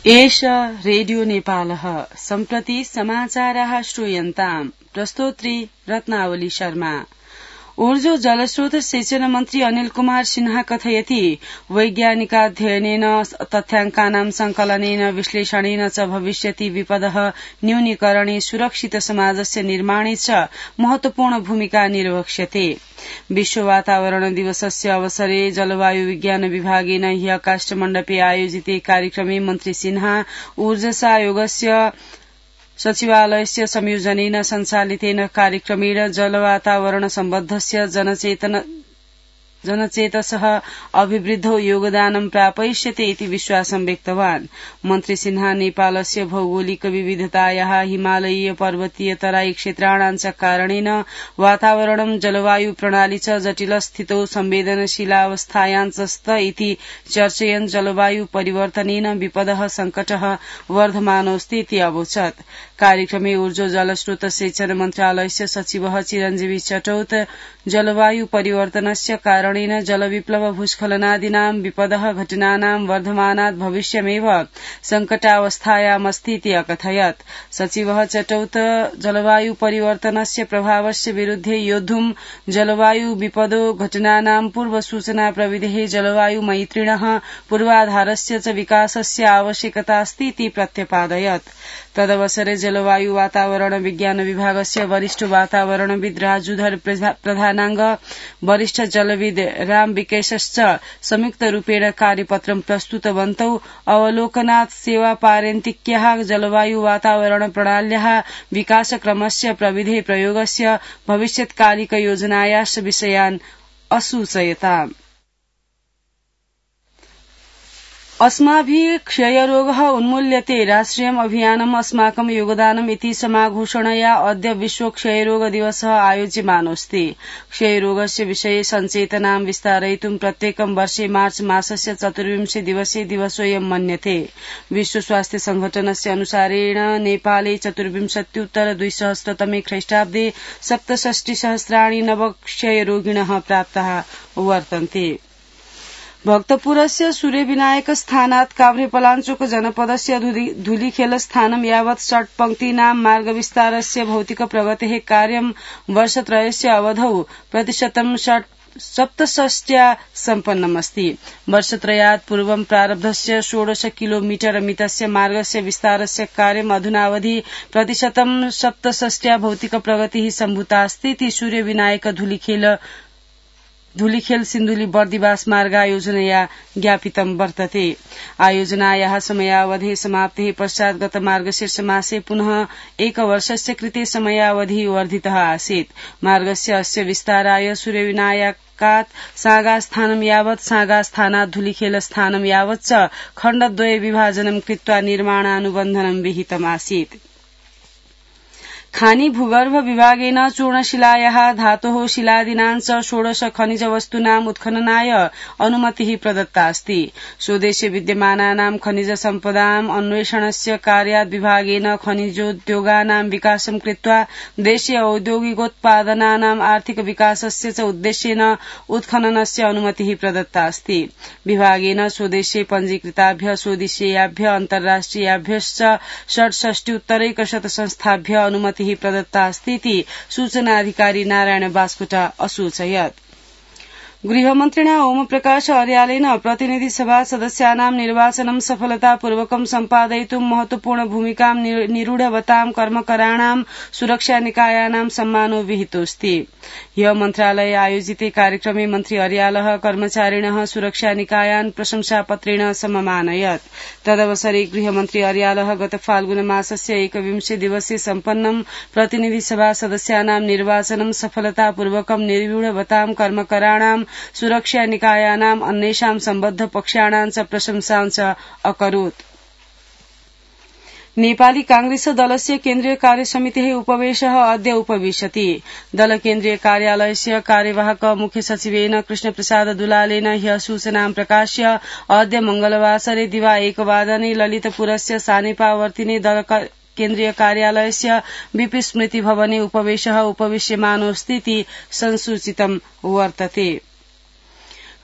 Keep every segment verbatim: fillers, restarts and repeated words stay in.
एष रेडियो नेपालः सम्प्रति समाचाराः श्रूयन्ताम्। प्रस्तोत्री रत्नावली शर्मा। ऊर्जो जलस्रोत सिंचन मन्त्री अनिल कुमार सिन्हा कथयति वैज्ञानिकाध्ययनेन तथ्याङ्कानां संकलनेन विश्लेषणेन च भविष्यति विपदः न्यूनीकरणे सुरक्षित समाजस्य निर्माणे च महत्वपूर्ण भूमिका निर्वक्ष्यते। विश्व वातावरण दिवसस्य अवसरे जलवायु विज्ञान विभागेन ह्यः काष्ठमण्डपे आयोजिते कार्यक्रमे मन्त्री सिन्हा ऊर्जसायोगस्य सचिवालयस्य संयोजनेन सञ्चालितेन कार्यक्रमेण जलवातावरण सम्बद्धस्य जनचेतन जनचेतसः अभिवृद्धौ योगदानं प्रापयिष्यते इति विश्वासं व्यक्तवान्। मन्त्री सिन्हा नेपालस्य भौगोलिक विविधतायाः हिमालयीय पर्वतीय तराई क्षेत्राणां च कारणेन वातावरणं जलवायु प्रणाली च जटिल स्थितौ संवेदनशीलावस्थायां च स्त इति चर्चयन् जलवायु परिवर्तनेन विपदः संकटः वर्धमानोऽस्ति इति अवोचत्। कार्यक्रमे ऊर्जो जलस्रोत सिंचन मन्त्रालयस्य सचिवः चिरञ्जीवी चटौत जलवायु परिवर्तनस्य कारणेन जलविप्लव भूस्खलनादीनां विपदः घटनानां वर्धमानात् भविष्यमेव संकटावस्थायामस्ति इति अकथयत्। सचिवः चटौत जलवायु परिवर्तनस्य प्रभावस्य विरुद्धे योद्धुं जलवायु विपदो घटनानां पूर्वसूचना प्रविधेः जलवायु मैत्रिणः पूर्वाधारस्य च विकासस्य आवश्यकता अस्ति इति प्रत्यपादयत्। तदवसरे जलवायु वातावरण विज्ञान विभागस्य वरिष्ठ वातावरणविद राजूधर प्रधानांग वरिष्ठ जलविद राम विकेशश्च संयुक्त रूपेण कार्यपत्रं प्रस्तुतवन्तौ। अवलोकनात् सेवा पारन्तिक्याः जलवायु वातावरण प्रणाल्याः विकासक्रमस्य प्रविधे प्रयोगस्य भविष्यत्कालिक योजनायाश्च विषयान् असूचयताम्। अस्माभिः क्षयरोगः उन्मूल्यते राष्ट्रियम् अभियानम् अस्माकं योगदानम् इति समाघोषणया अद्य विश्व क्षयरोग दिवसः आयोज्यमानोऽस्ति। क्षयरोगस्य विषये सचेतनां विस्तारयितुं प्रत्येकं वर्षे मार्च मासस्य चतुर्विंशे दिवसे दिवसोऽयं मन्यते। विश्व स्वास्थ्य संघटनस्य अनुसारेण नेपाले चतुर्विंशत्युत्तर द्विसहस्रतमे ख्रीष्टाब्दे सप्तषष्टिसहस्राणि नवक्षयरोगिणः प्राप्ताः वर्तन्ते। भक्तपुरस्य सूर्यविनायक स्थानात् काभ्रेपलाञ्चोक जनपदस्य धुलीखेल स्थानं यावत् षट्पङ्क्तीनां मार्गविस्तारस्य भौतिक प्रगतेः कार्यं वर्षत्रयस्य अवधौ प्रतिशतं सप्तषष्ट्या सम्पन्नमस्ति। वर्षत्रयात् पूर्वं प्रारब्धस्य षोडश किलोमीटर मितस्य मार्गस्य विस्तारस्य कार्यम् अधुनावधि प्रतिशतं सप्तषष्ट्या भौतिक प्रगतिः सम्भूतास्ति इति सूर्यविनायक धुलीखेल धुलीखेल सिन्धुली बर्दिवास मार्गायोजनया ज्ञापितं वर्तते। आयोजनायाः समयावधेः समाप्तेः पश्चात् गत मार्गशीर्ष मासे पुनः एकवर्षस्य कृते समयावधिः वर्धितः आसीत्। मार्गस्य अस्य विस्ताराय सूर्यविनायकात् सागास्थानं यावत् सागास्थानात् धुलीखेल स्थानं यावत् च खण्डद्वये विभाजनं कृत्वा निर्माणानुबन्धनं विहितमासीत्। खानी भूगर्भ विभागेन चूर्णशिलायाः धातोः शिलादीनां च षोडश खनिज वस्तूनाम् उत्खननाय अनुमतिः प्रदत्ता अस्ति। स्वदेशे विद्यमानानां खनिज सम्पदाम् अन्वेषणस्य कार्यात् विभागेन खनिजोद्योगानां विकासं कृत्वा देशीय औद्योगिकोत्पादनानाम् आर्थिक विकासस्य च उद्देश्येन उत्खननस्य अनुमतिः प्रदत्ता अस्ति। विभागेन स्वदेशे पञ्जीकृताभ्य स्वदेशीयाभ्य अन्ताराष्ट्रियाभ्यश्च षट्षष्ट्युत्तरैकशत संस्थाभ्य अनुमतिः प्रदत्ता अस्ति इति सूचनाधिकारी नारायण बास्कोटा असूचयत्। गृहमन्त्रिणा ओम प्रकाश अर्यालेन प्रतिनिधि सभा सदस्यानां निर्वाचनं सफलतापूर्वकं सम्पादयितुं महत्वपूर्ण भूमिकां निरूढवतां कर्मकराणां सुरक्षा निकायानां सम्मानो विहितोऽस्ति। ह्यः मन्त्रालये आयोजिते कार्यक्रमे मन्त्री अर्यालः कर्मचारिणः सुरक्षा निकायान् प्रशंसापत्रेण सममानयत्। तदवसरे गृहमन्त्री अर्यालः गत फाल्गुन मासस्य एकविंशे दिवसे सम्पन्नं प्रतिनिधि सभा सदस्यानां निर्वाचनं सफलतापूर्वकं निर्व्यूढवतां कर्मकराणां सुरक्षा निकायानाम् अन्येषां सम्बद्ध पक्षाणां च प्रशंसां च अकरोत्। नेपाली कांग्रेस दलस्य केन्द्रीय कार्यसमितेः उपवेशः अद्य उपविशति। दल केन्द्रीय कार्यालयस्य कार्यवाहक मुख्य सचिवेन कृष्णप्रसाद दुलालेन ह्यः सूचनां प्रकाश्य अद्य मंगलवासरे दिवा एकवादने ललितपुरस्य सानेपावर्तिने दल केन्द्रीय कार्यालयस्य बीपी स्मृति भवने उपवेशः उपविश्यमानोऽस्ति इति संसूचितं वर्तते।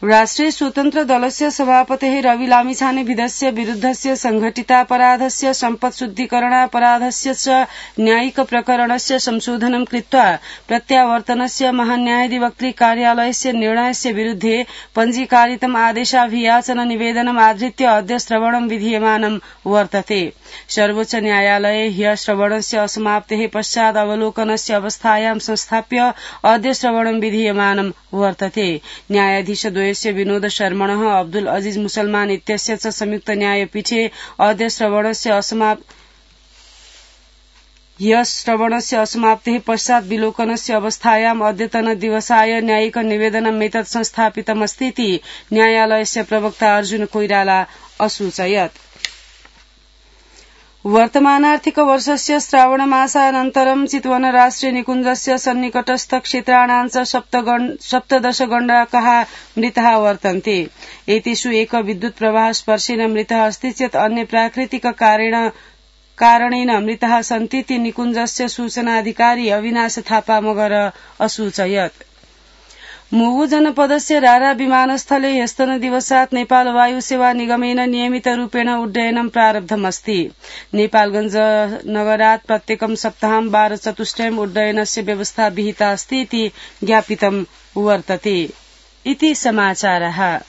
राष्ट्रिय स्वतन्त्र दलस्य सभापतेः रवि लामिछानेविधस्य विरुद्धस्य संघटितापराधस्य सम्पत्शुद्धीकरणापराधस्य च न्यायिक प्रकरणस्य संशोधनं कृत्वा प्रत्यावर्तनस्य महान्यायाधिवक्त्री कार्यालयस्य निर्णयस्य विरुद्धे पञ्जीकारितम् आदेशाभियाचन निवेदनम् आधृत्य अद्य श्रवणं विधीयमानं वर्तते। सर्वोच्च न्यायालये ह्यः श्रवणस्य असमाप्तेः पश्चात् अवलोकनस्य अवस्थायां संस्थाप्य अद्य श्रवणं विधीयमानं वर्तते। न्यायाधीश द्वयस्य विनोद शर्मणः अब्दुल अजीज मुसलमान इत्यस्य च संयुक्त न्यायपीठे अद्य श्रवणस्य असमाप्त ह्यः श्रवणस्य असमाप्तेः पश्चात् विलोकनस्य अवस्थायाम् अद्यतन दिवसाय न्यायिक निवेदनमेतत् संस्थापितमस्तीति न्यायालयस्य प्रवक्ता अर्जुन कोइराला असूचयत्। वर्तमानार्थिक वर्षस्य श्रावणमासानन्तरं चितवन राष्ट्रिय निकुञ्जस्य सन्निकटस्थ क्षेत्राणां च सप्तदश गण्डकाः मृताः वर्तन्ते। एतेषु एक विद्युत् प्रवाह स्पर्शेन मृतः अस्ति चेत् अन्य प्राकृतिक कारेण कारणेन मृताः सन्तीति निकुञ्जस्य सूचनाधिकारी अविनाश थापा मगर असूचयत्। मुगु जनपदस्य रारा विमानस्थले ह्यस्तनदिवसात् नेपाल वायुसेवा निगमेन नियमितरूपेण उड्डयनं प्रारब्धमस्ति। नेपालगञ्ज नगरात् प्रत्येकं सप्ताहं वारचतुष्टयम् उड्डयनस्य व्यवस्था विहिता अस्ति इति ज्ञापितं वर्तते। इति समाचारः।